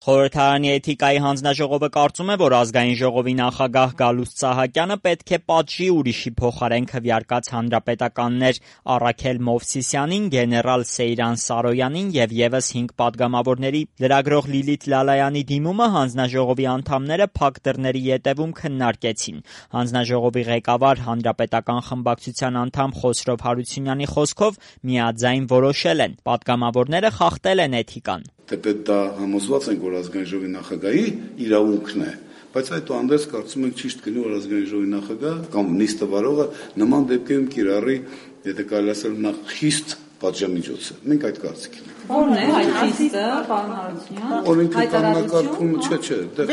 Խորհրդարանի էթիկայի հանձնաժողովը կարծում է, որ ազգային ժողովի նախագահ Գալուստ Սահակյանը պետք է պատժի ուրիշի փոխարեն քվեարկած հանրապետականներ Առաքել Մովսիսյանին, գեներալ Սեյրան Սարոյանին և ևս 5 պատգամավորների։ Լրագրող Լիլիթ Լալայանի դիմումը հանձնաժողովի անդամները փակ դռների ետևում քննարկեցին։ Հանձնաժողովի ղեկավար հանրապետական խմբակցության անդամ Խոսրով Հարությունյանի խոսքով միաձայն որոշել են. պատգամավորները խախտել են էթիկան։ Թեպետ դա համոզված ենք, որ ազգային ժողովի նախագահի իրավունքն է, բայց այդուհանդերձ կարծում ենք ճիշտ կլինի, որ ազգային ժողովի նախագահ կամ նիստը վարողը նման դեպքերում կիրառի, եթե կարելի ասել, նախ խիստ պատժամիջոցը։ Մենք այդ կարծիքին ենք։ Ո՞րն է այդ խիստը, պարոն Հարությունյան։ Օրենքի կարգավորումը, չէ, դեռ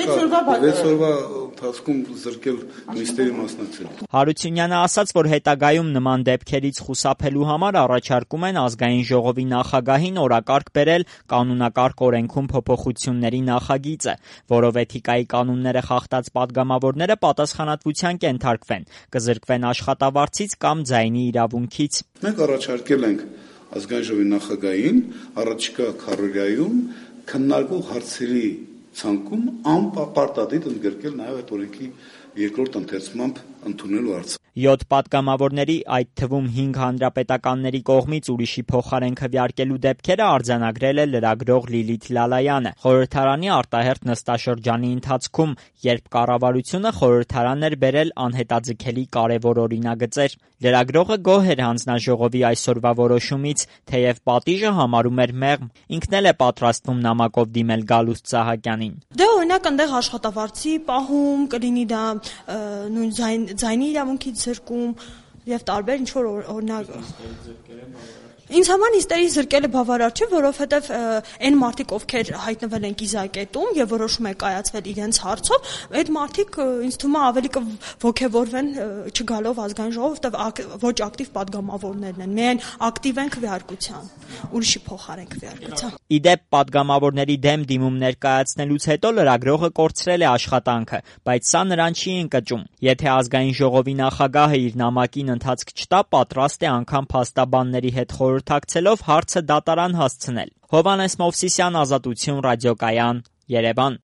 6 օրվա ընթացքում զրկել նիստերի մասնակցել։ Հարությունյանը ասաց, որ հետագայում նման դեպքերից խուսափելու համար առաջարկում են ազգային ժողովի նախագահին օրակարգ բերել կանոնակարգ օրենքում փոփոխությունների նախագիծը, որով էթիկայի կանոնները խախտած պատգամավորները պատասխանատվության կենթարկվեն, կզրկվեն աշխատավարձից կամ ձայնի իրավունքից։ Մենք առաջարկել ենք ազգային ժողովի նախագահին առաջիկա քառորյայում քննարկող հարցերի ցանկում անպարտադիր ընդգրկել նաև այդ օրենքի երկրորդ ընթերցմամբ ընդունելու հարցը։ 7 պատգամավորների, այդ թվում 5 հանրապետականների կողմից ուրիշի փոխարեն քվեարկելու դեպքերը արձանագրել է լրագրող Լիլիթ Լալայանը խորհրդարանի արտահերթ նստաշրջանի ընթացքում, երբ կառավարությունը խորհրդարան էր բերել անհետաձգելի կարևոր օրինագծեր։ Լրագրողը գոհ էր հանձնաժողովի այսօրվա որոշումից, թեև պատիժը համարում էր մեղմ։ Ինքն էլ է պատրաստվում նամակով դիմել Գալուստ Սահակյանին։ Դե օրինակ այնտեղ աշխատավարձի պահում կլինի, դա նույն ձայնի իրավունքից զրկում եւ տարբեր ինչ որ օրինակ Ինձ համար նիստերի զրկելը բավարար չէ, որովհետև այն մարդիկ, ովքեր հայտնվել են կիզակետում եւ որոշում է կայացվել իրենց հարցով, այդ մարդիկ ինձ թվում է ավելի կողքեվորվեն չգալով ազգային ժողով, որովհետև ոչ ակտիվ պատգամավորներն են, միայն ակտիվ են քվեարկության, ուրիշի փոխարեն քվեարկության։ Իդեպ պատգամավորների դեմ դիմում ներկայացնելուց հետո լրագրողը կորցրել է աշխատանքը, բայց սա նրան չի ընկճում։ Եթե ազգային ժողովի նախագահը իր նամակին ընթացք չտա, պատրաստ է անգամ փաստաբանների հետ խորհրդակցելով հարցը դատարան հասցնել։ Հովհաննես Մովսիսյան, Ազատություն ռադիոկայան, Երևան։